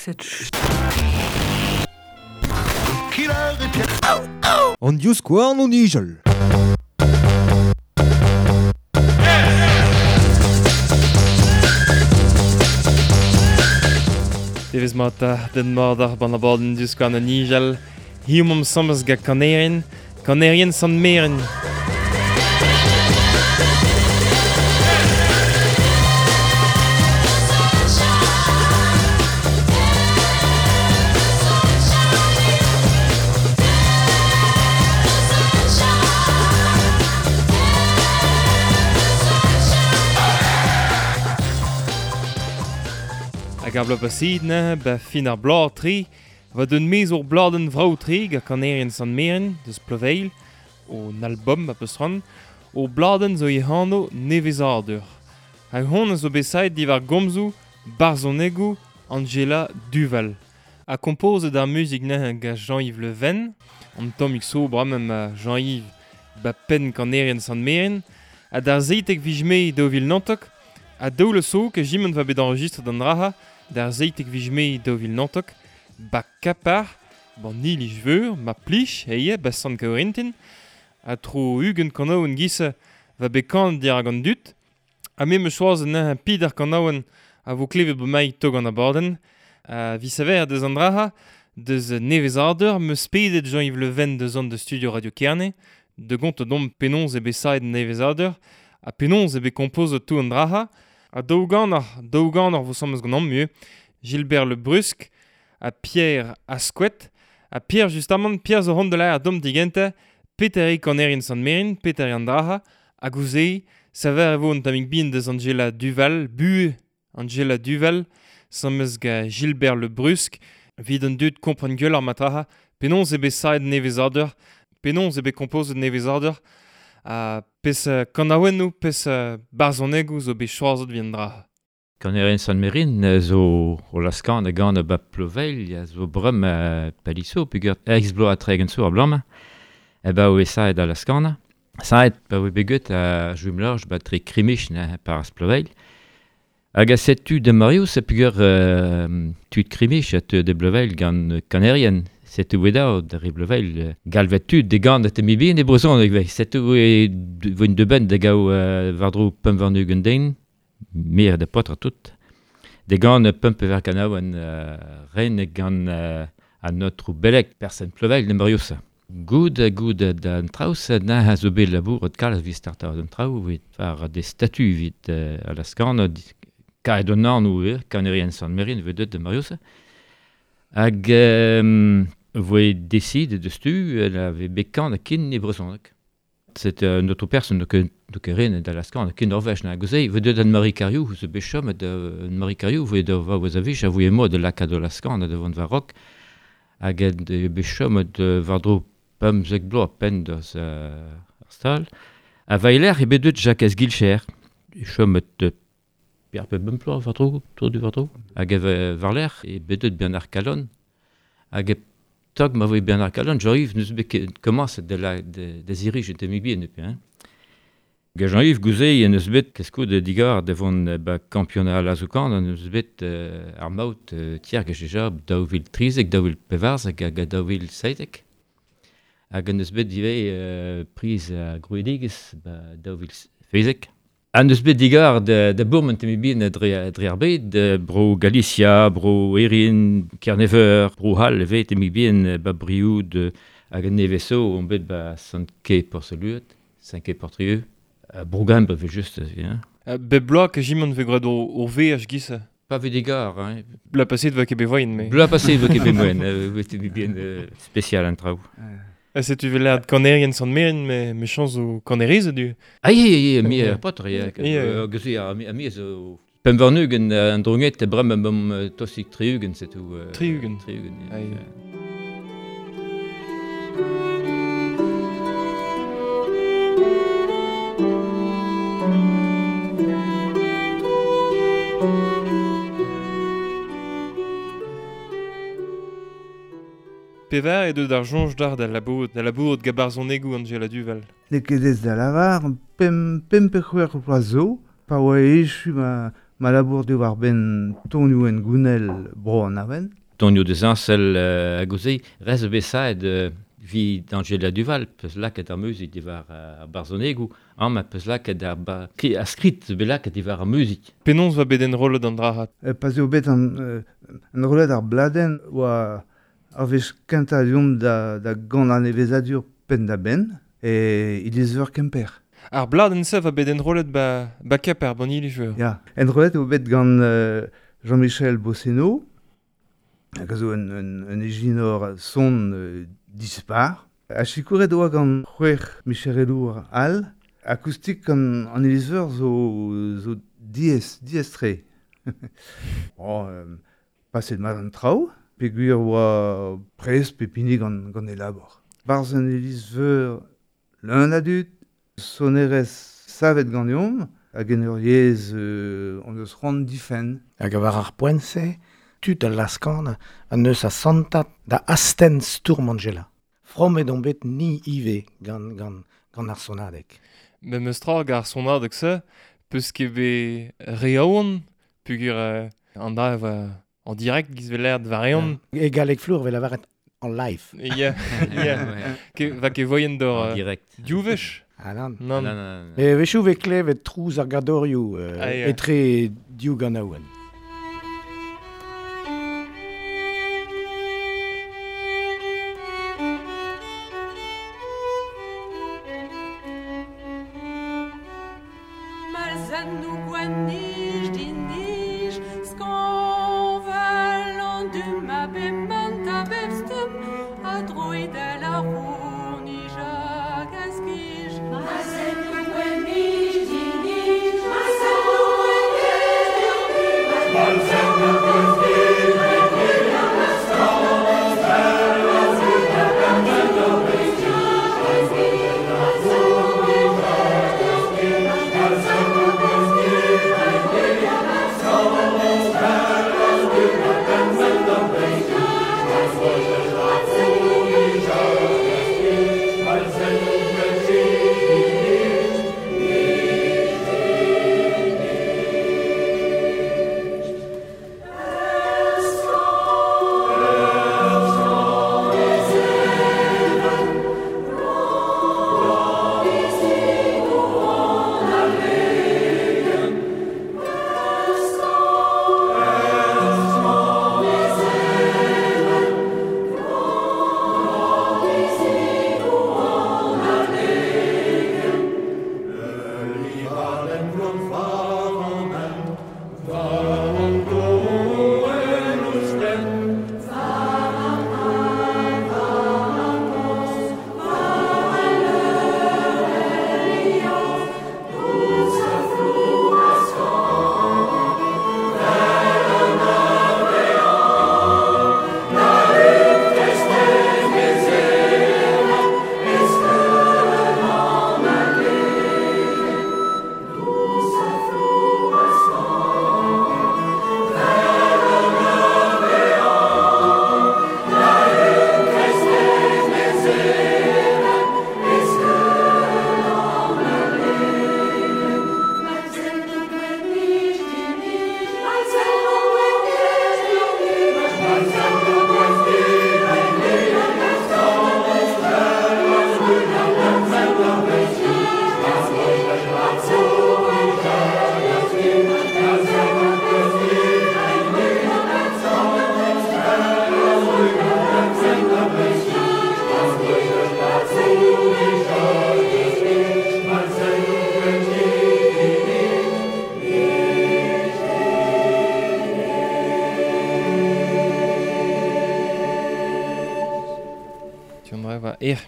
cette An divskouarn o nijal. Devezh mat den mat ar ban abadenn divskouarn o nijal. Hiziv omp asambles gant kanerien, kanerien Sant-Meren. Hag ar bloaz paseet neuze, ba fin ar bloaz tre, va d'un maez ur bladenn vrav-tre gant kanerien Sant-Meren, deus Ploveilh, un album a peus c'hoant, ur bladenn zo he anv Nevezadur. Hag honnezh zo bet savet diwar gomzoù barzhonegoù Angela Duval. Ha kompozet ar muzik neuze gant Jean-Yves Le Ven, an tammig so bremañ ma Jean-Yves ba penn kanerien Sant-Meren, ha d'ar 17 viz Mae 2019, ha daou so ke jiment va bet enregistret an draha, d'ar 17 viz Mae 2019, ba Kapar, ban iliz veur, ma plich, eie, ba Sant-Kaourintin, ha tro 20 kanaouenn giz va bet kanet dirak an dud, ha me 'm eus choazet neuze pid ar kanaouenn a vo klevet bremaik tog an abadenn, ha 'vit saver deus an draha, deus Nevezadur, 'm eus pedet Jean-Yves Le Ven deus an da studio Radio Kerne, da gontañ deomp penaos eo bet savet Nevezadur, ha penaos eo bet kompozet tout an draha, ha daou ganer, daou ganer vo asambles ganeomp ivez, Gilbert Le Brusq ha Pierre Asquet, ha Pierre justamant, Pierre zo c'hoant da lâret deomp digentañ, petra eo kanerien Sant-Meren, petra eo an draha, hag ouzh se, saver e vo un tammig bihan deus Angela Duval, buhez Angela Duval, asambles gant Gilbert Le Brusq, evit an dud kompren gwelloc'h ma traha, penaos eo bet savet Nevezadur, penaos eo bet kompozet Nevezadur, ha peseurt kanaouennoù, peseurt barzhonegoù zo bet choazet evit an dra. Kanerien Sant-Merin zo o laskan a gant ba Ploveilh, a zo bremañ paliso, peogwir eizh bloaz ha tregont zo abalamour, e ba oe saet da laskanañ. Saet pa oe bet get a Jumelorge ba tre Krimich neuze par Ploveilh. Hag a setu da Marius peogwir tud Krimich a teu da Bloveilh gant kanerien. Setu oe dav da re Bloveilh galvet tud de gant te mibien e brezhoneg vez. Setu oe voen de benn da gaou war-dro pemp warn-ugent den, mir da paotr ha tout. De gant pemp pevar kanaouenn ren gant an aotrou Belek, person Ploveilh da Marius. Goud goud d'an traoù na a zo bet labouret kalz evit startañ an traoù evit war des statuts evit a la skan kaet an anv ivez, kanerien Sant-Merin voe deuet da Marius. Hag voe décide deus tu a vez bet kanet ken e brezhoneg. C'est un autre personne donc ren da la skan ken Norvège na gozei voe deuet an Marie Cariou zo bet chomet Marie Cariou voe da va oa avich a voe mod de lakaat da la skan da vont war rock hag bet chomet war-dro pemzek bloaz penn deus ar stal. A vaeler eo bet deuet Jacques Guilcher. Chomet per pe bemp bloaz war-dro, tro du war-dro. Hag war-lerc'h eo bet deuet Bernard Calonne. Hag e tog ma voe Bernard Calonne, Jean-Yves n'eus bet ket komañset da la da zirij un tammig bihan depuis, hein. Hag Jean-Yves gouze en eus bet keskout digar da vont ba kampionat lazoù-kan, en eus bet ar maout tier gant deja 2013, 2014 hag 2017. Hag en eus bet ivez priz ar grouedigezh ba 2017. An eus bet digar da bourmen tammig bihan dre ar bed, bro Galicia, bro Erin, Kerneveur, bro Hall ivez tammig bihan ba Brioud hag an neveso on bet ba Sant-Quay Porceluet, Saint-Quay Portrieux. Bro Gembre ivez just, hein. Bep bloaz ke jimon vez graet ur veaj giz. Pa vez digar, hein. Bloaz paseet va ket bet voen, mais... Bloaz paseet va ket bet voen, tammig bihan spécial an traoù. Ha setu vel lâret kanerien Sant-Meren, me chañs zo kanerezed du. Ah, ye, ye, me paotr, ye, geuze a me zo pemp warn-ugent an drouged bremañ bom tostik tri-ugent, setu. Tri-ugent. Tri-ugent, Ah, ye. Pevar eo deut ar soñj d'ar da labourat, da labourat gant barzhonegoù Angela Duval. N'eo ket aes da lavar, pemp pe c'hwec'h vloaz zo, pa oa echu ma, Ma labour diwar ben tonioù en gounel bro an aven. Tonioù de zansel a gozei, rez besaet vi d'Angela Duval, peus laket ar muzik diwar ar barzhonegou, am a peus laket ar a skrit bet laket diwar ar muzik. Penaos va bet enrollet an drahat? Pa'z eo bet an enrollet ar bladenn oa ar wech kentañ deomp da gant an evezadur penn-da-benn e iliz-veur Kemper. Ar bladenn-se va bet enrollet ba Kemper, ban iliz-veur. Ya, enrollet eo bet gant Jean-Michel Bosseno, hag a zo un ijinor son dispar. A sikouret oa gant c'hwec'h micherelour all. Akoustik an iliz-veur zo diez-tre. Oh, paset mat an traoù, peogwir oa prest pe pini gant e labor. Barzh an iliz-veur leun a dud, sonerezh savet ganeomp, hag en ur yezh on eus c'hoant difenn. Hag war ar poent-se, tud al laskan an eus a santat da astenn stourm Angela. Fromet on bet ni ivez gant ar sonadeg. Me meus tra hag ar sonadeg-se, peus ket bet reaon, peogwir an da en direct giz vel l'air variant. E galleg flour vel lavaret en live. Ya, ya. Va ket voyen d'or en direct. Div wech. Ah nan. Nan. E wechoù vez klevet trouz ar gadorioù etre div ganaouenn.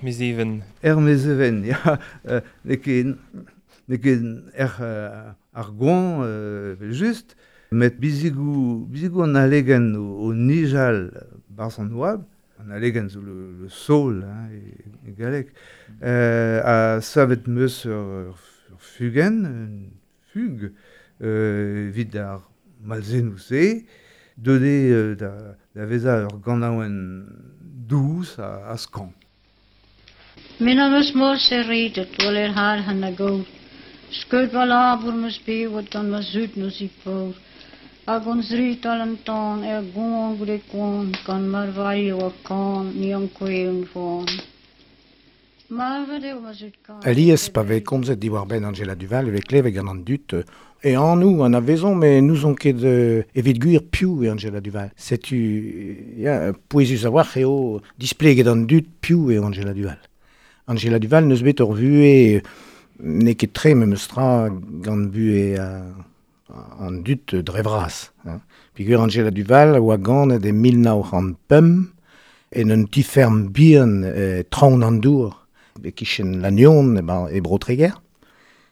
Mezeven. Mezeven, ya. N'eo ket ar goan, just, met bizigoù an alegenn o nijal barzh an oabl, an alegenn zo le sol, hein, e galleg, a savet meus ur fugenn, un fug, evit ar malzennoù-se, deuet da vezañ ur ganaouenn dous a skañv. Min am eus mor se redet, wel er haar han a go. Skeud va labour meus bewet gant ma zud neus i paour. Hag hon zrit al an tan er gon goude koan, gant marvailho a kan, ni an kweun voan. Marvet eo ma zud kan. Alies pa vez komzet diwar benn Angela Duval e vez klevet gant an dud e annou an avezon, mais nous on ket evit gwir piv eo Angela Duval. Setu, ya, pouezus a-walc'h eo displeget an dud piv eo Angela Duval. Angela Duval neus bet ur vuhez n'eo ket tre memes tra gant buhez an dud dre vras. Hein. Peogwir Angela Duval a oa ganet e 1905 en un ti-ferm bihan traoñ an dour, e kichen Lannion e Bro-Treger.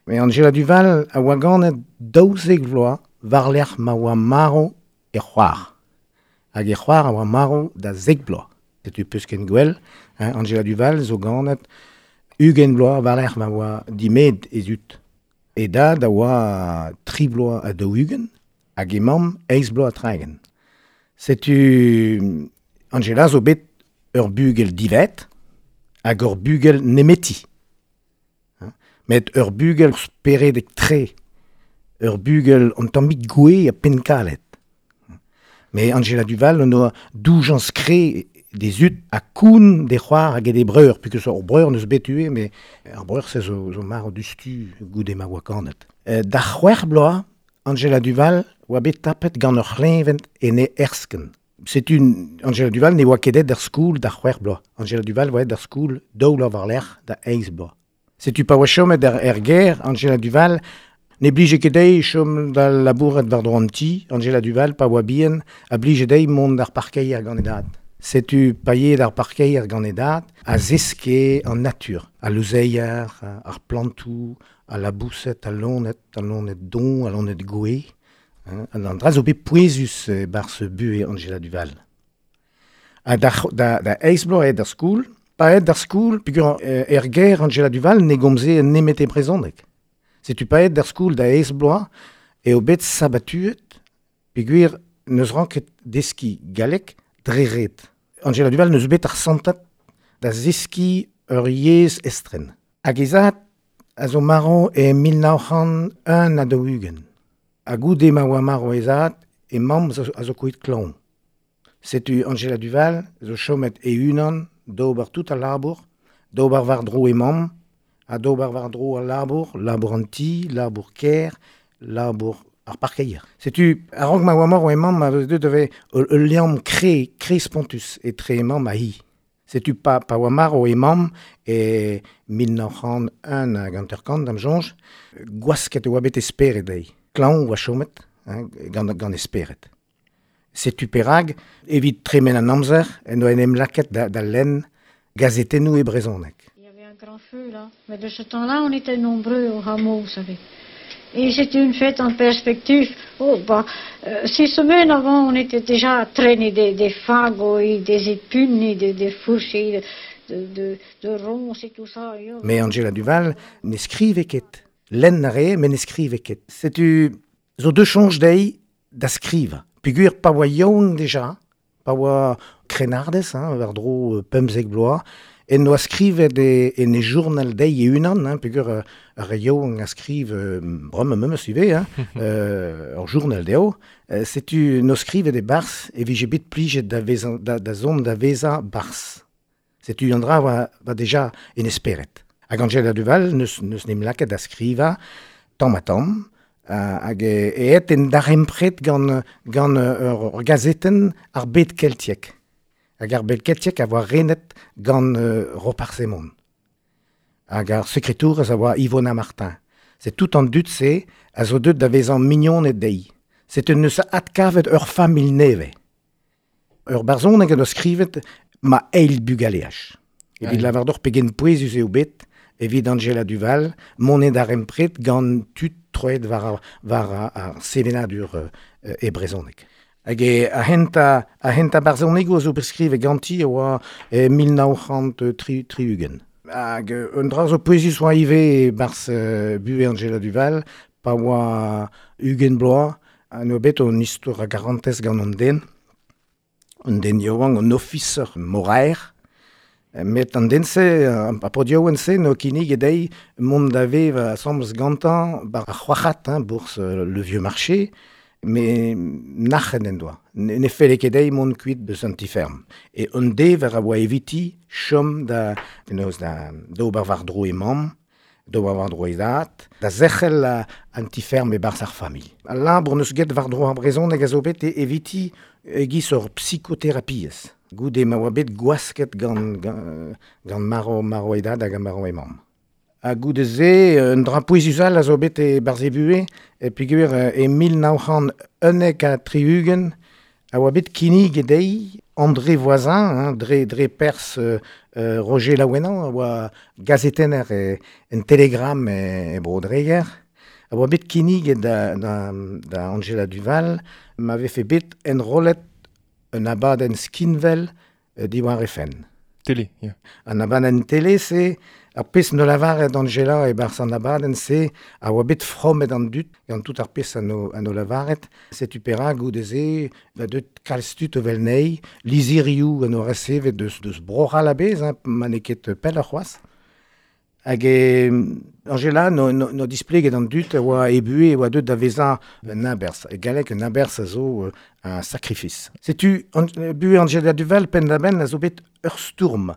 Mais Angela Duval a oa ganet 12 vloaz war-lerc'h ma oa marv e c'hoar. Hag e c'hoar a oa marv da 10 bloaz. Setu peus ken gwell, hein, Angela Duval zo ganet 20 bloaz war-lerc'h ma oa dimet e zud. E dad a oa 3 bloaz ha 40 hag e mamm 8 bloaz ha 30. Setu Angela zo bet ur bugel divet hag ur bugel nemeti. Hein? Met ur bugel speredek tre, ur bugel an tammig gouez ha pennkalet. Mais Angela Duval en oa doujañs kre d'he zud ha koun d'he c'hoar hag d'he breur, puisque ur breur neus bet ivez, mais ar breur se zo marv dustu goude ma oa ganet. Da c'hwec'h bloaz, Angela Duval oa bet tapet gant ur c'hleñved en he erskenn. Setu Angela Duval ne oa ket aet d'ar skol da c'hwec'h bloaz. Angela Duval oa aet d'ar skol daou bloaz war-lerc'h da eizh bloaz. Setu pa oa chomet er gêr, Angela Duval ne blije ket dezhi chom da labourat war-dro an ti. Angela Duval, pa oa bihan, a blije dezhi mont d'ar parkeier gant e dad. Setu pa yee d'ar parkeier gant e dad, a zeske an natur, al louzeier, ar plantoù, al laboused, al loened, al loened doñv, al loened gouez. Hein, an dra zo bet pouezus e-barzh buhez Angela Duval. Ha da eizh bloaz aet d'ar skol, pa aet d'ar skol, peogwir er gêr Angela Duval ne gomze nemet e brezhoneg. Setu pa aet d'ar skol da eizh bloaz eo bet sabatuet, peogwir n'eus ranket deskiñ galleg dre ret. Angela Duval n'eus bet ar santad da zeskiñ ur yezh estren. Hag he zad a zo marv e 1941. Ha goude ma oa marv he zad, e mamm a zo kouezhet klañv. Setu Angela Duval zo chomet e-unan d'ober tout al labour, d'ober war-dro e mamm, ha d'ober war-dro al labour, labour an ti, labour kêr, labour ar parkeier. Setu, a-raok ma oa marv e mamm, a vez deuet da vezañ ul liamm kre spontus etre e mamm ha hi. Setu pa oa marv e mamm e 1951, d'am soñj, gwasket e oa bet e spered dezhi. Klañv oa chomet, hein, gant e spered. Setu perak, evit tremen an amzer, en doa en em lakaet da lenn gazetennoù e brezhoneg. Il y avait un grand feu là, mais de ce temps-là on était nombreux au hameau, vous savez. Et c'était une fête en perspective. Oh, bah, 6 semaines avant, on était déjà à traîner des fagots et des épines et des fourches et de ronces et tout ça. Mais Angela Duval ne skrive ket. Lenn a rae, met ne skrive ket. Setu zo deuet soñj dezhi da skrivañ. Peogwir pa oa yaouank deja, pa oa krennardez, hein, war-dro 15 bloaz, en doa skrivet en e journal dezhi e-unan, hein, peogwir ar re yaouank a skriv bremañ memes ivez, hein, ur journal dezho. Setu no skrivet e-barzh e vije bet plijet da vezañ, da zont da vezañ barzh. Setu an dra oa deja en e spered. Hag Angela Duval neus n'em lakaet da skrivañ tamm ha tamm, hag e aet en darempred gant ur gazetenn ar bed keltiek. Hag ar bed keltiek a oa renet gant Roparz Hemon. Hag ar sekretourez a oa Ivona Martin. C'est tout an dud-se a zo deuet da vezañ mignoned dezhi. Setu neus adkavet ur familh nevez. Ur barzhoneg en doa skrivet ma eil bugaleaj. Evit lavar deoc'h pegen pouezus eo bet evit Angela Duval monet darempred gant tud troet war ar sevenadur e brezhoneg. Hag e a-hent a barzhonegoù a zo bet skrivet ganti e oa e 1963. Hag un dra zo pouezus oa ivez e-barzh buhez Angela Duval, pa oa 20 bloaz, ha n'oa bet un istor a garantez gant an den. Un den yaouank, un ofiser moraer, Met an den-se, a podiouen-se, no kinnig edei mont da vev asambles gantañ bar ar c'hoac'hat, hein, bourse le vieux marché, me nac'hen en doa. Ne felle ket dezhi mont kuit deus an ti-ferm. E un dever a oa eviti chom da, penaos da d'ober war-dro e mamm, d'ober war-dro e dad, da zerc'hel an ti-ferm e-barzh ar familh. Al labour neus get war-dro ar brezhoneg a zo bet eviti e-giz ur psikoterapiezh. Goude ma oa bet gwasket gant, gant, gant maro e dad hag maro e mamm. Ha goude-se, un dra pouezus all a zo bet e barzh e buhez, e peogwir e 1971 a oa bet kinnig dezhi André Voisin, hein, dre pers Roger Laouenan, a oa gazetenner en Telegram e Bro-Dreger, a oa bet kinnig da Angela Duval, ma vefe bet enrollet un abadenn skinvel diwar e fenn. Télé, ya. An abadenn télé, se, ar pezh no lavaret Angela e barzh an abadenn se, a oa bet fromet an dud, gant tout ar pezh an o lavaret, setu perak goude-se, va deut kalz tud o vel nei, lizhirioù an o resevet deus Bro-C'hall a-bezh, hein, ma n'eo ket pell ar c'hoazh. Hag e Angela no displeget an dud a oa e buhez e oa deut da vezañ un aberzh. E galleg un aberzh a zo un sacrifice. Setu buhez Angela Duval penn-da-benn a zo bet ur stourm.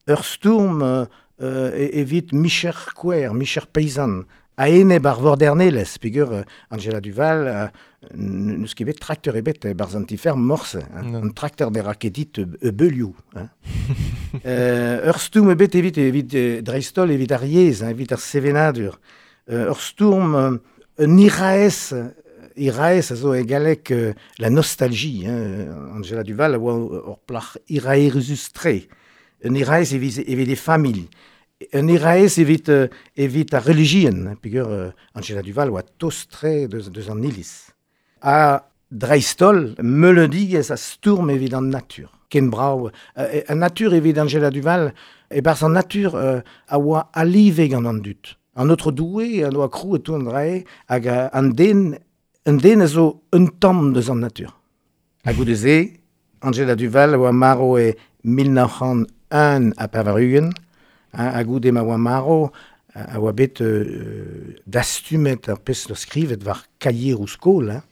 Ur stourm evit micher kouer, micher paysan. A-enep ar vordernelezh, peogwir Angela Duval n'eus ket bet trakteur ebet e-barzh an ti-ferm morse. Hein. Non. An trakteur ne ra ket dit beulioù. Hein. Ur stourm ebet evit dreist-holl evit ar yezh, hein, evit ar sevenadur. Ur stourm un iraez a zo e galleg la nostalgie. Hein. Angela Duval a oa ur plac'h iraeruzus-tre. Un iraez evit e familh. Un iraez evit ar relijion, peogwir Angela Duval oa tost-tre deus an iliz. Ha dreist-holl, meuledigezh a stourm evit an natur. Ken brav. An natur evit Angela Duval, e-barzh an natur a oa alive gant an dud. An autre Doue an oa krouet tout an drae, hag an den a zo un tamm deus an natur. Ha goude-se, Angela Duval a oa marv e 1981, ha goude ma oa marv, a oa bet dastumet ar pezh no skrivet war kaieroù skol, hein,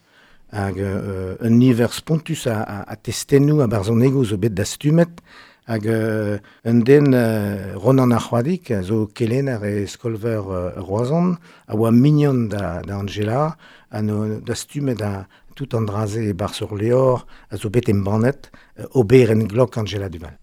hag un niver spontus a testennoù a barzhonegoù zo bet dastumet, hag un den Ronan ar C'hoadig, a zo kelenner e skolveur Roazhon, a oa mignon da Angela, ha no dastumet a tout an dra-se e-barzh ur levr, a zo bet embannet, oberenn glok Angela Duval.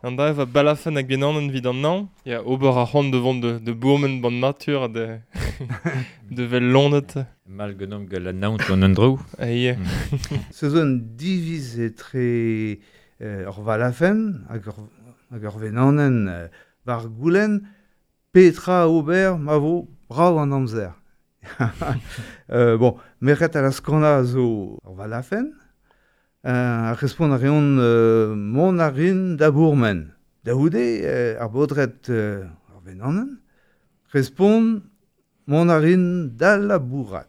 An da va balafen hag genanen vid an nañ. Ya, ober ar c'hoant de vont de bourmen ban natur de de vel lonet. Mal genom gant an naon an endro. Ah, yeah. Se zo un diviz etre ur valafen hag ur venanen war goulenn petra ober ma vo brav an amzer. Bon, merc'hed a laskana zo ur valafen, a respont a reont mont a rin da bourmen. Da houde, ar baotred ar venanen, respont mont a rin da labourat.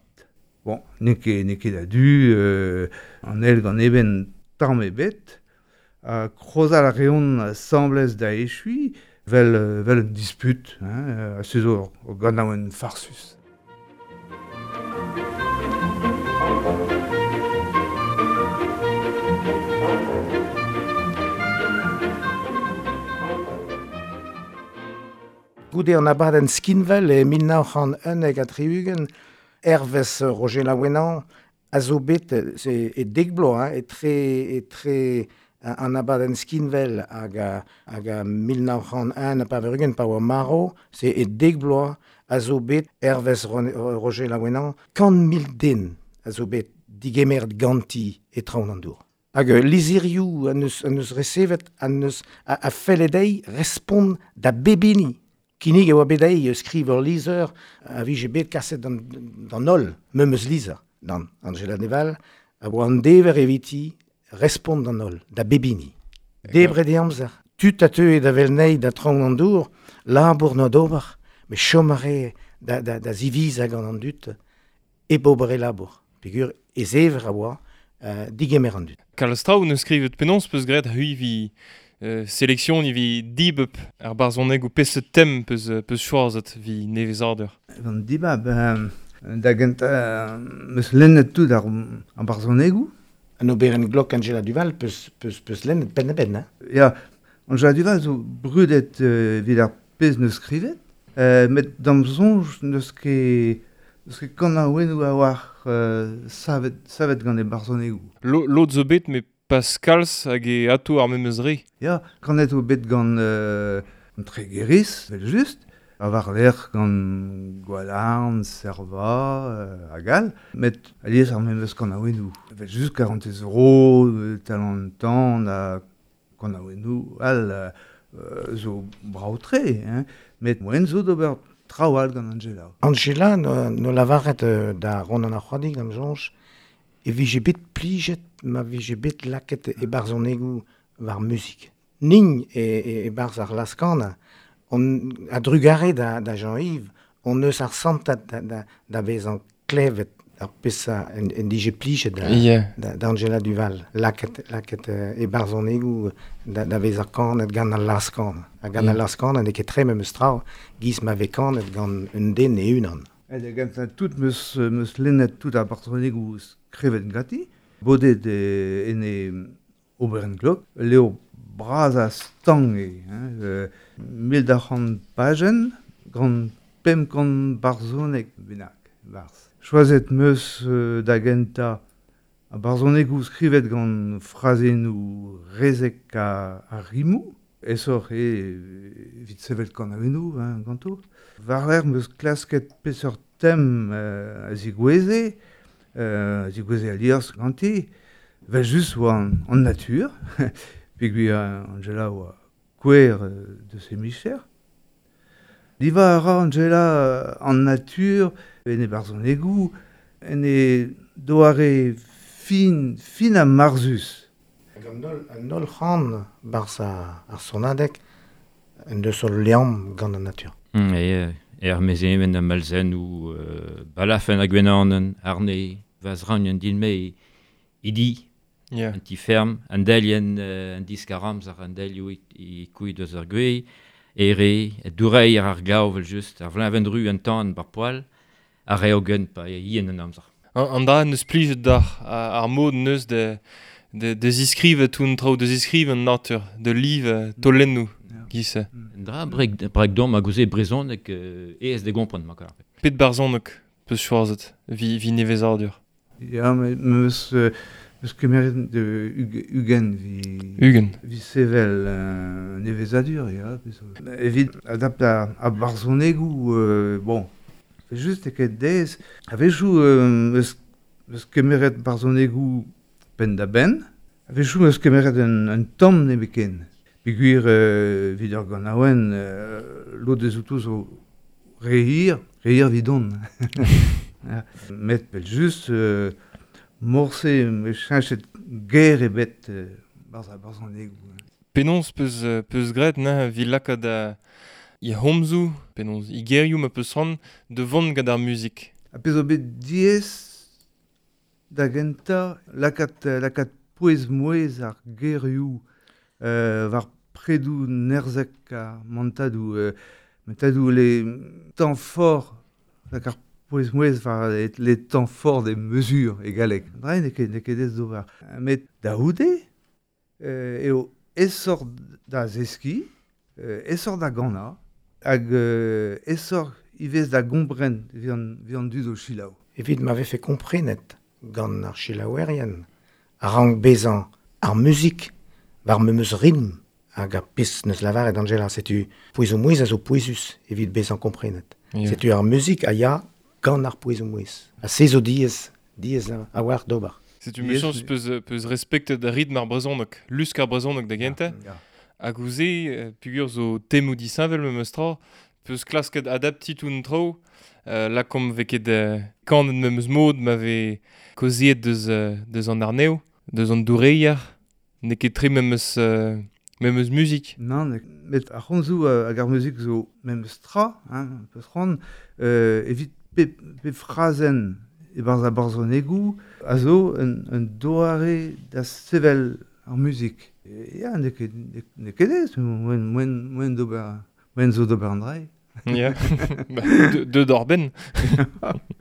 Bon, n'eo ket a du, an el gant eben tamm ebet, krozal a reont asamblez da echui, vel un disput, hein, a se zo ur ganaouenn farsus. Goude an abadenn skinvel e 1971 hervez Roger Laouenan a zo bet e dek bloaz, hein, etre an abadenn skinvel hag a 1981 pa oa maro, se e dek bloaz a zo bet hervez Roger Laouenan 100,000 den a zo bet digemeret ganti e traoñ an dour. Hag lizherioù an eus resevet an eus a felle dezhi respont da bebini. Kinnig e oa bet dezhi skriv ur lizher a vije bet kaset d'an holl, memes lizher, d'an Anjela Duval, a oa an dever eviti respont d'an holl, da bebini. Debret e amzer. Tud a teue da vel nei da traoñ an dour, labour n'oa d'ober, met chom a re da ziviz hag an dud, e ober e labour. Peogwir e zever a oa digemer an dud. Kalz traoù neus skrivet penaos peus graet c'hwi vi sélection vi dibab ar barzhoneg ou peseurt tem peus choazet vi nevezadur. Gant dibab, da gentañ meus lennet tout ar barzhonegoù. An oberenn glok Anjela Duval peus lennet penn-da-benn, hein? Ya, Anjela Duval zo brudet evit ar pezh neus skrivet, met d'am soñj n'eus ket kanaouennoù a-walc'h savet gant e barzhonegoù. Lod zo bet, met pas kalz hag e ato ar memes re. Ya, kanet o bet gant Tregeris, vel just, a war lec'h gant Gwalarn, Serva, hag all, met alies ar memes kanaouennoù. Vel just 40 euro, Talent tan, ha kanaouennoù all zo brav-tre, hein, met moen zo d'ober traoù all gant Anjela. Anjela no lavaret da Ronan ar C'hoadig, d'am soñj, e vije bet plijet ma vije bet laket e barzhonegoù war muzik. Nin e barzh ar laskana, on a drugare da Jean-Yves, on eus ar santad da vezañ klevet ar pesa en dije plijet da Anjela Duval. Laket e barzhonegoù da vezañ kanet gant al laskana. Ha gant al laskana n'eo ket tre memes tra, giz ma vez kanet gant un den e unan. Da gentañ tout meus lennet tout ar barzhonegoù skrivet ganti, bodet en e oberenn glok, leo bras a stang eo, hein, 1200 pajenn gant 500 barzhoneg bennak, barzh. Choazet meus da gentañ ar barzhonegoù skrivet gant frazennoù rezek ha rimoù, esoc'h eo evit sevel kanaouennoù, hein, ganto. War-lerc'h meus klasket peseurt tem a zigoueze alies ganti, vel just oa an natur, peogwir Anjela oa kouer deus he micher. Diva a ra Anjela an natur en e barzhonegoù, en e doare fin ha marzus. Hag an holl c'han barzh ar sonadeg en deus ul liamm gant an natur. Er mezemen a malzennoù, balafen hag gwenanen, arne, vazran an din-me, idi, yeah. An ti ferm, an delien, an diskaramz ar an delioù e kuit eus ar gwez, ere, dourei ar glav vel just, ar vleñvenn-ru an tan bar poal, ar reogen pa ien an amzer. An dra neus plijet d'ar ar mod neus de ziskrivet tout an traoù, de ziskrivet an natur, de liv tolennoù. Giz. An dra brek dom a gouze brezhoneg aes de gompren ma kar. Pet barzhoneg peus choazet vi nevezadur. Ya, meus kemeret de ugen vi sevel nevezadur, ya. Evit adapt a barzhonegoù, bon, just e ket dez. A-wechoù meus kemeret barzhonegoù penn da benn, A-wechoù 'm eus kemeret un tamm nemetken. Peogwir evit ur ganaouenn, lod eus outo zo re hir, re hir evidon. Met evel-just, morse 'm eus cheñchet ger ebet barzh ar barzhonegoù. Penaos peus, peus graet neuze evit lakaat he c'homzoù, penaos he gerioù ma peus c'hoant da vont gant ar muzik? Ha pezh zo bet diaes da gentañ lakaat, lakaat pouez-mouezh ar gerioù war predoù nerzhek ar mantadoù, mantadoù les temps forts, lak ar pouez-mouezh war les temps forts des mesures e galleg. Dra n'eo ket, n'eo ket aes d'ober. Met da c'houde eo aesoc'h da zeskiñ, aesoc'h da ganañ, hag aesoc'h ivez da gompren evit an, evit an dud o selaou. Evit ma vefe komprenet gant ar selaouerien a rank bezañ ar muzik war memes ritm hag ar pezh 'neus lavaret Anjela, setu pouezoù-mouezh a zo pouezus evit bezañ komprenet. Ya. Setu ar muzik a ya gant ar pouezoù-mouezh. Ha se zo diaes, diaes a-walc'h d'ober. Setu mechañs peus, peus respektet ritm ar brezhoneg, lusk ar brezhoneg da gentañ. Ya. Hag ouzh se, peogwir zo temoù disheñvel memes tra, peus klasket adaptiñ tout an traoù, lakaomp 'vez ket kanet memes mod ma vez kaozeet deus, deus an arnev, deus an doureier, n'eo ket tre memes, memes muzik. Nann, met ar c'homzoù hag ar muzik zo memes tra, hein, peus c'hoant, evit pep, pep frazenn e-barzh ar barzhonegoù a zo un, un doare da sevel ar muzik. Ya, n'eo ket, n'eo ket aes, moaien, moaien, moaien d'ober, moaien zo d'ober an dra. Ya, ba, deut hor benn.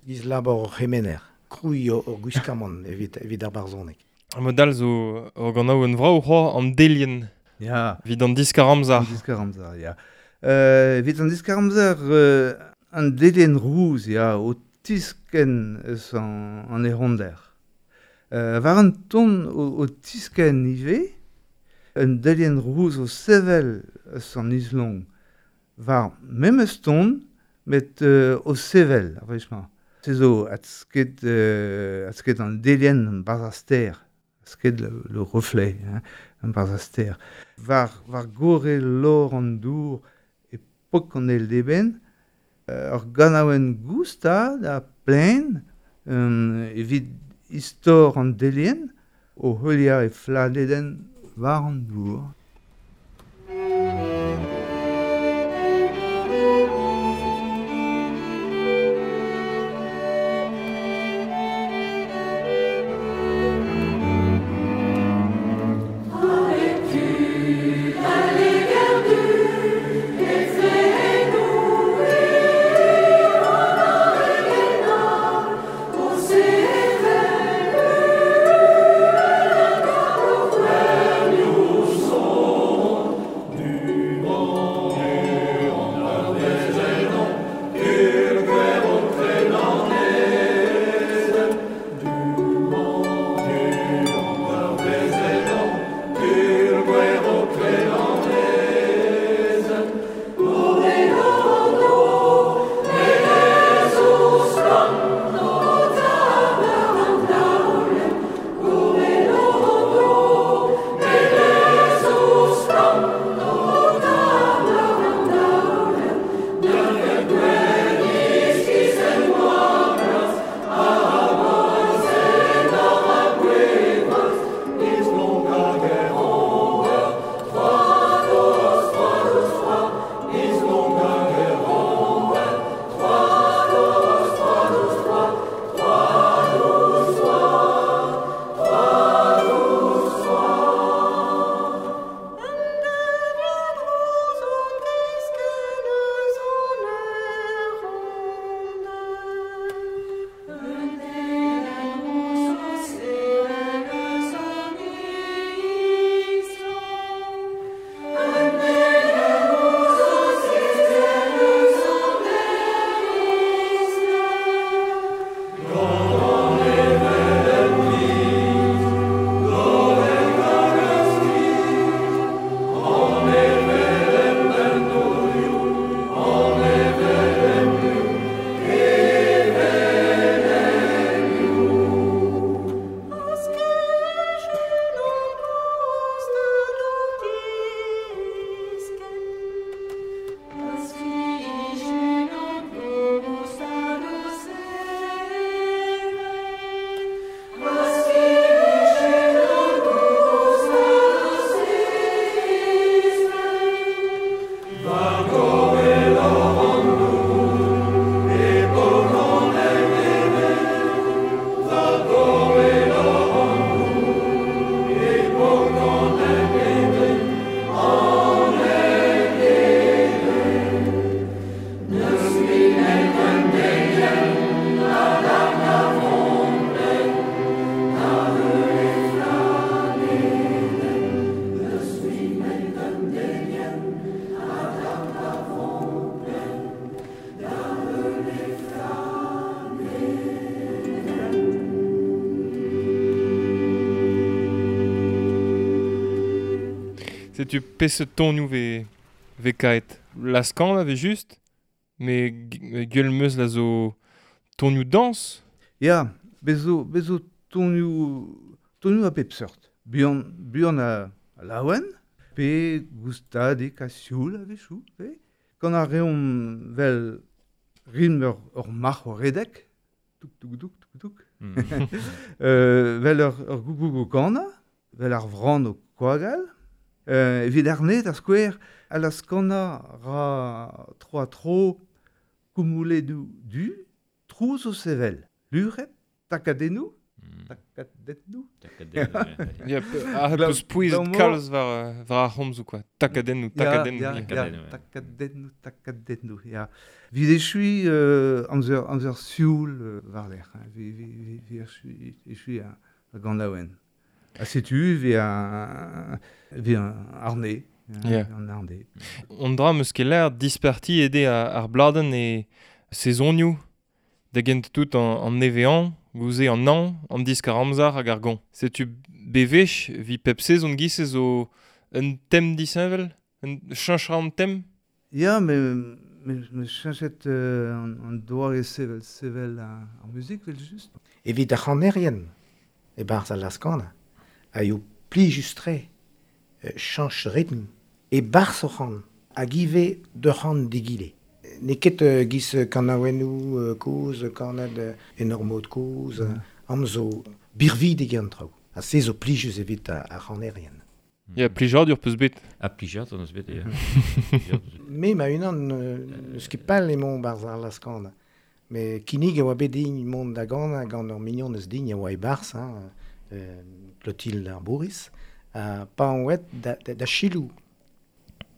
Giz labour ur c'hemener, krouiñ ur gwiskamant evit, evit ar barzhoneg. Ar mod all zo ur ganaouenn vrav c'hoazh, an delienn. Ya. Evit an diskar-amzer. An diskar-amzer, ya. Evit an diskar-amzer, an delienn rouz, ya, o tiskenn eus an, an ec'honder. War an ton o, o tiskenn ivez, un delienn rouz o sevel eus an islong. War memes ton, met o sevel ar wech-mañ. Se zo adsked, adsked an delienn barzh ar stêr. Sked le, le reflet, hein, barzh ar stêr. War, war gorre lor an dour e pok an eil d'eben, ur ganaouenn goustad ha plaen evit istor an delienn o heuliañ e flanedenn war an dour. Setu peseurt tonioù ve kaet. Laskan ave just, me gueul meus la zo tonioù dans. Ya, bezo tonioù a pep seurt. Buan a laouen, pe goustadik a sioul a-wechoù, pe gant ar reomp vel rim ur marc'h o redek, touk touk touk touk touk, vel ur gougoug o kana, vel ar vran o koagal, evit arne da skouer, a la skana ra tro a tro koumouledou du, trouz o sevel, luret, takadennou, takadennou. Ya, a peus pouezet kalz war ar c'homzoù, quoi. Takadennou, takadennou. Ya, takadennou, ya. Vid echui amzer sioul war lec'h, vi echui a gant laouen. Ha setu vi an arne. An arne. On dra meus ket l'air disparti ede ar bladenn e sezonioù da gent tout an nevean, gouze an an, an disk ar amzar hag ar gant. Setu bevech, vi pep sezon giz zo un tem disheñvel, un cheñch an tem? Ya, me cheñchet an doare sevel ar muzik, vel just. Evit ar c'hanerien, e barzh al laskana, a eo plijus-tre, cheñch ritm, e barzh o c'han, hag ivez d'ur c'han digile. N'eo ket giz kanaouennoù kozh, kaned en ur mod kozh, am zo birvidik an traoù. Ha se zo plijus evit ar c'hanerien. Ya, plijadur peus bet. Ha plijadur eus bet, ya. Me ma unan n'eus ket pell emaon barzh ar laskana. Me kinnig e oa bet din mont da ganañ gant ur mignon eus din e oa e-barzh, hein, Clotilde ar Bourris, pa on oet da Chilou.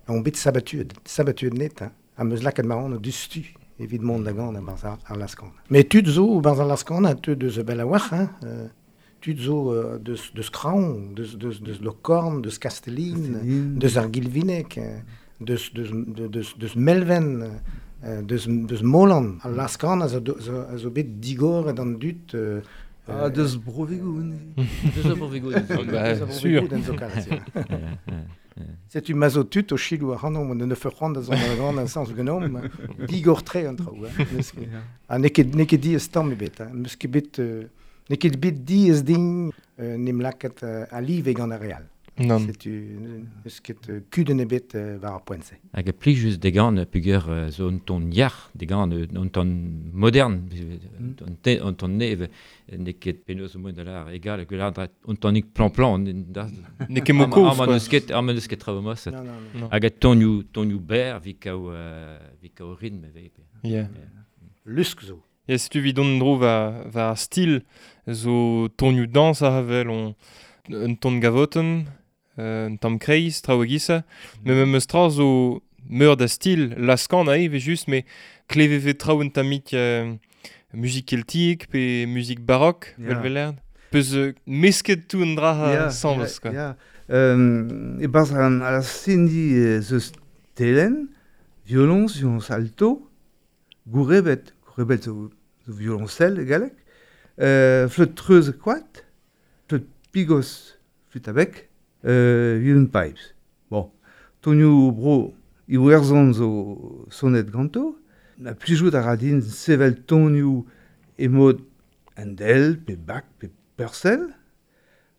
On bet sabatuet net, hein. Ha meus lakaet ma anv dustu evit mont da ganañ barzh ar laskana. Mais tud zo barzh ar laskana, tud eus Bellawar, hein, tud zo deus Kraon, deus Lokorn, deus Kastellin, deus ar Gilvineg, deus Melven, deus Molan. Al laskana a zo bet digoret an dud. Deus Brovegoun. Deus Brovegoun. Sûr. Setu ma zo tud o chilou ar c'hanomp, ne feur c'hoant da zont da gant an sans genomp, digor tre an traoù. Ha n'eo ket diaes tamm ebet. N'eus ket bet, n'eo ket bet diaes din n'em lakaet a live gant ar re all. Non. Setu n'eus ket kudenn ebet war ar poent-se. Hag a plijus degan peogwir zo un ton yac'h degan un ton modern, un ton neve, n'eo ket penaos o da lar egal hag un tonik plan-plan. N'eo ket mo kozh, quoi. Ar ma n'eus ket traoù mos. Hag a tonioù berr vi kao ritm eve. Yeah. Lusk zo. Ya, setu vid on dro war stil zo tonioù dans a vel on un ton gavoten, un tamm kreiz, traoù a-gisa. Me memes tra zo meur da stil, laskan a eve just, me kleveve traoù un tammik muzik keltiek pe muzik barok, vel velerd. Peus mesket tout un dra sanvez, quoi. Ya, e barzh an a sendi zeus telen, violons, violons alto, gourebet zo violoncelle galek, fleut treuz koat, fleut pigos flûte à bec, violon pipes. Bon, tonioù bro Iwerzhon zo sonet ganto, na plijout a ra din sevel tonioù e mod Handel, pe Bach, pe Purcell,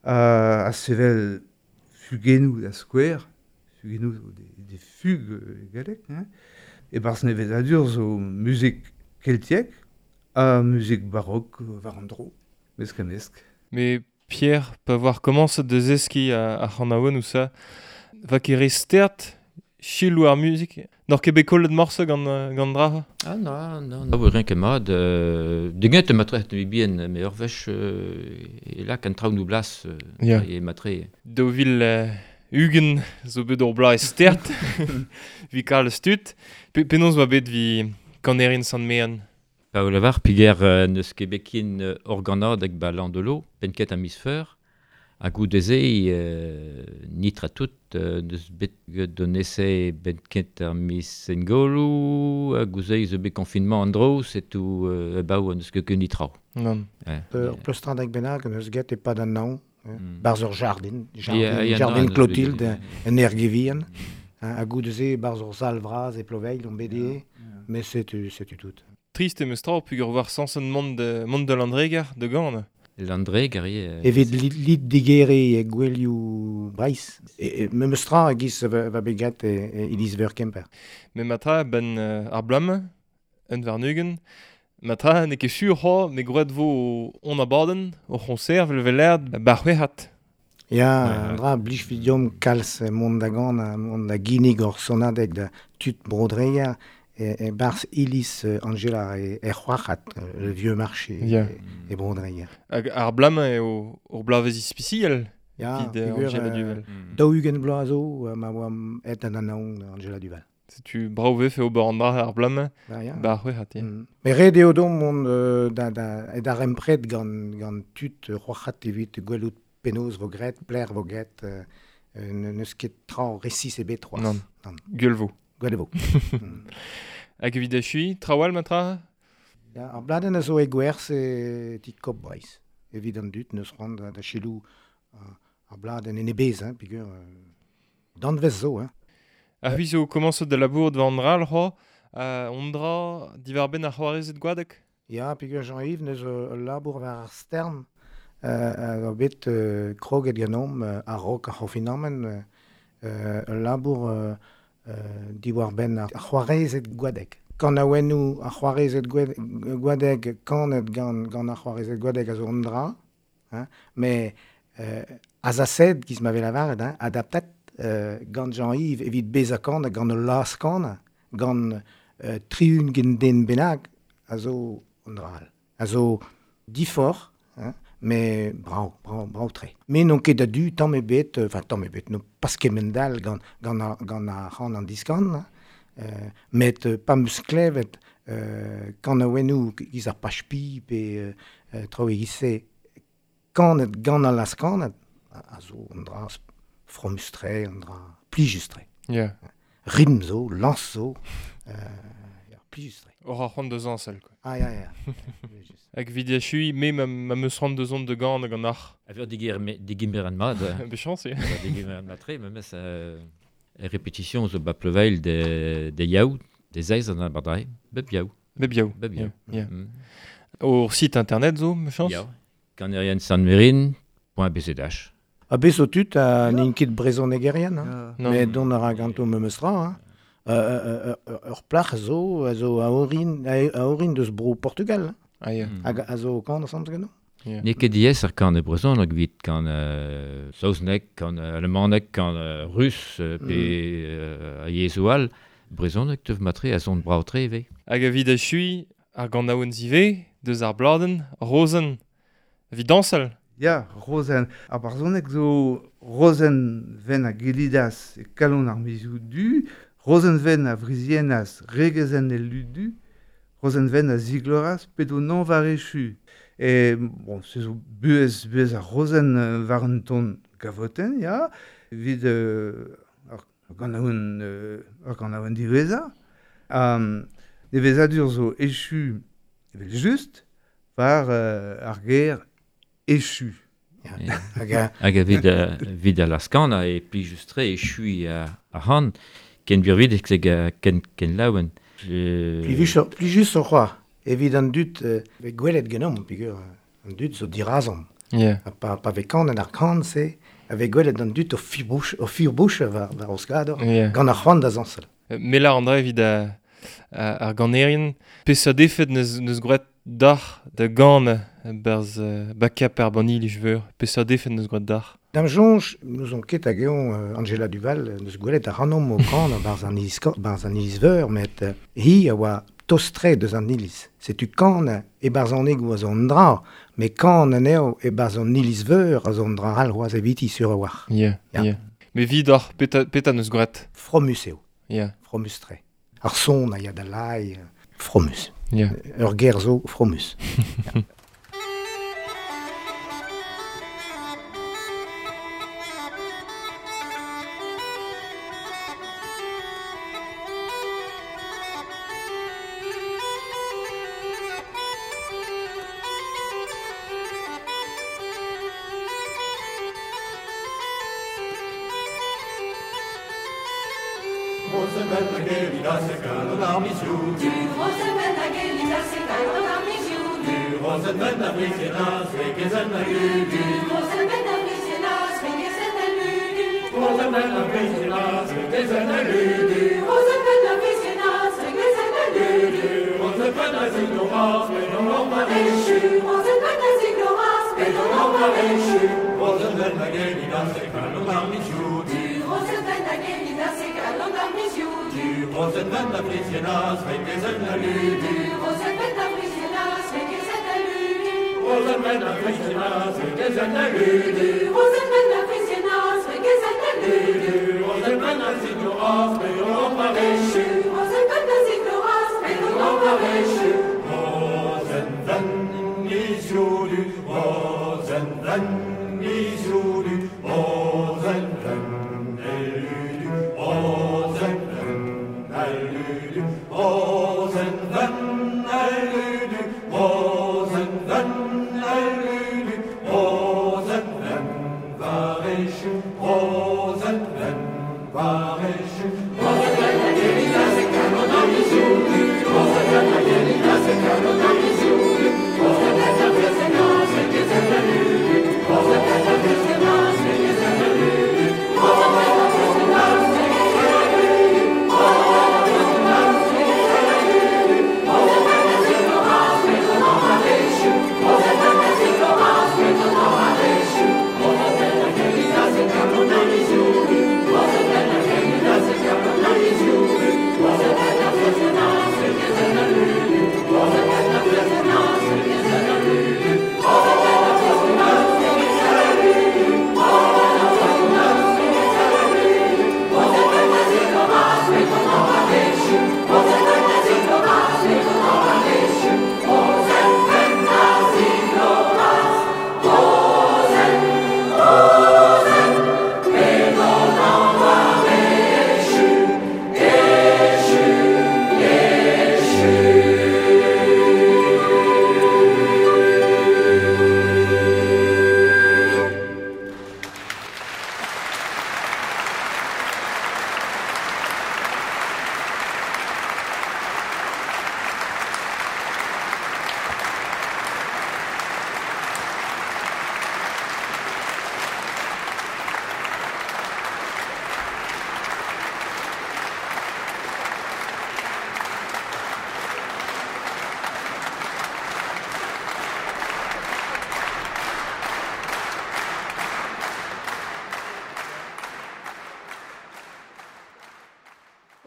a sevel fugennoù da skouer, fugennoù zo des fugues galek, hein. E barzh nevezadur zo muzik keltiek ha muzik barok war an dro, mesk ha mesk. Mais Pierre, pa voir commence de zeski a c'hanaouen ou ça, va ket re stert chilou ar muzik. N'or ket bet kollet morse gant dra? Ah non, non, non, rien ket mat. Deget matre mi bien, me ur wech e lak an traoù nou blas e matre. Daou vil ugen zo bet ur bloaz stert, vi kalz tud. Penaos oa bet vi kanerin Sant Mean? Pa o lavar, piger neus ket bet ken organad hag ba landelo, penket a miz feur, ha goudeze nitra tout neus bet donese benket ar miz engolou, ha gouzei zo bet confinement an dro, setu baou neus ket ket nitra. Non. Ur pleustrad hag bennak neus get e pad an naon, Barz ur jardin, jardin Clotilde, en Ergevien. A goudeze barz ur sal vraz e Ploveil, on BD, mais c'est tout. Triste em eus tra pugur war sansen mont de Landreger de gant. Landreger, eo. Evit lid digere e gwelioù Breiz. E memes tra a giz va begat e Iliz Veur Kemper. Me matra ben ar blam, un varnugen, matra ne ket sur ho, me groet vo on abaden, o c'honser vel velerd bar c'hwec'hat. Ya, an dra blij vidiom kalz mont da gant, mont da ginig or sonadeg da tud brodreger, e barz Ilis Angela e c'hoarc'hat, le vieux marché e brodreger. Hag ar blam eo ur blavez ispisiel evit Angela Duval. Daou ugent bloaz zo ma oa et an anaon Angela Duval. Setu brav vefe ober an dra ar blam bar c'hwec'hat. Me ret eo dom mont da rempred gant tud c'hoarc'hat evit gwelout penaos vo gret, pler vo gret, neus ket tra resis ebet c'hoazh. Non. Gwell vo. Gwell vo. Hag evit achui, trawal matra? Ya, ar bladenn a zo e gwerzh e ti Kop Breizh. Evit an dud neus c'hoant da chelou ar bladenn en ebez, hein, peogwir danvez zo, hein. Ar c'hwi zo komañset da labour war an dra, c'hoa, on dra diwar benn ar c'hoarezed gwadek? Ya, peogwir Jean-Yves neus ul labour war ar stern a bet kroget ganeomp a-raok ar c'honfinamant ul labour diwar benn ar c'hoarezed gwadek. Kanaouennoù ar c'hoarezed gwadek kanet gant ar c'hoarezed gwadek a zo an dra, hein, mais azased, giz ma vez lavaret, hein, adaptet gant Jean-Yves evit bezañ kanet, gant ul laz kanet, gant triun gen den bennak, a zo an dra all. A zo difor, hein, mais brav tre. Mais n'on ket a-du tamm ebet, enfin tamm ebet, n'on pas kemend-all gant ar c'han an diskan, met pa 'm eus klevet kanaouennoù giz ar pachpi pe traoù e-giz-se kanet gant al laz-kanet, a zo an dra fromus-tre, an dra plijus-tre. Yeah. Ritm zo, lañs zo, plijus-tre. Oc'h ar c'hoant da zañsal, quoi. Ah, ya, ya. Hag evit achui, me ma meus c'hoant da zont da gant gant ar. A veur digemer an mat. Bechañs, eo. Digemer an mat-tre, memes répétition zo ba Ploveil de yaou, de zeiz an abardai, bep yaou. Bep yaou. Bep yaou. Yeah. Ur site internet zo, mechañs? Ya. Kaneriensanmerin.bzh. A bez zo tud a n'int ket brezhonegerien, hein. Mais dont a ra ganto memes tra, hein. Ur plac'h zo a zo a orin deus bro Portugal. Ah, yeah. Hag a zo kan ensemble ganeomp. Yeah. N'eo ket diaes ar kan e brezhoneg evit kan saozneg, kan alemanek, kan rus pe a yezhoù all. Brezhoneg teuf matre a zon brav-tre ivez. Hag evit achui ar ganaouenn ivez, deus ar bladenn, Rozenn, evit dañsal. Ya, Rozenn. Ar barzhoneg zo Rozenn ven a gellidas e kalon ar mizioù du, Rozenn ven a vriziennas regezenn el ludu, Rozenn ven a zigloras pedo nan war echu. E, bon, se zo buhez ar Rozenn war un ton gavotenn, ya, evit ar ganaouenn diwezhañ. Nevezadur zo echu, evel just, war ar ger echu. Hag evit a laskan e plijus-tre echui ar c'han, ken birvidik ken laouen. Plijus o c'hoar, evit an dud vez gwelet ganeomp, peogwir an dud zo dirazomp. Yeah. Pa vez kanet ar kan-se, a vez gwelet an dud o firbouch war o skador, gant ar c'hoant da zañsal. Mela an dra evit ar ganerien, peseurt efed neus gwraet d'ar da gant berz bakap ar banil veur, peseurt efed neus gwraet d'ar. Dam soñj, n'ouzon ket hag eo Angela Duval neus gwelet ar c'hanomp o kan barz an iliz veur, met hi a oa tostre deus an iliz. Setu kan e barz an egoù a zo an dra, met kan anezho e barz an iliz veur a zo an dra all c'hoazh eviti sur a-walc'h. Yeah, yeah. Me vidoc'h, peta neus gwraet? Fromus eo. Yeah. Fromus-tre. Ar son a ya da lai, fromus. Yeah. Ur ger zo fromus. Yeah.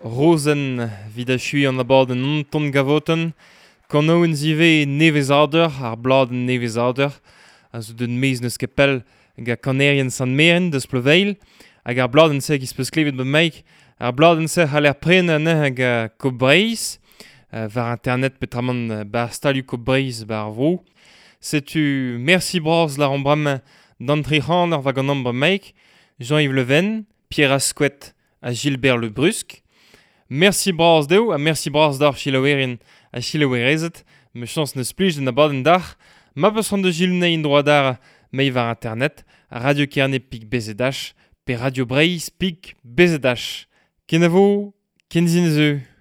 Rozen vid achui an abadenn Anton Gavoten, kanouen zive nevezader, ar bladenn nevezader, a zo d'un mez neus ket pell ga kanerien Sant-Meren deus Ploveil, hag ar bladenn se giz peus klevet bet meik, ar bladenn se c'haller pren anezhañ hag Kop Breizh, war internet petramant bar stalioù Kop Breizh bar vro. Setu merci bras la rambram d'an tri c'han ar war gant ambr meik, Jean-Yves Leven, Pierre Asquette ha Gilbert Le Brusque. Merci bras deo ha merci bras d'ar chilaouerien ha chilaouerezet, me chans neus plij den abadenn d'ar, ma peus c'hoant da Gilles in droit d'ar mei war internet, Radio Kerne pik BZH, pe Radio Breizh pik BZH. Kenavo, kenzin zeu.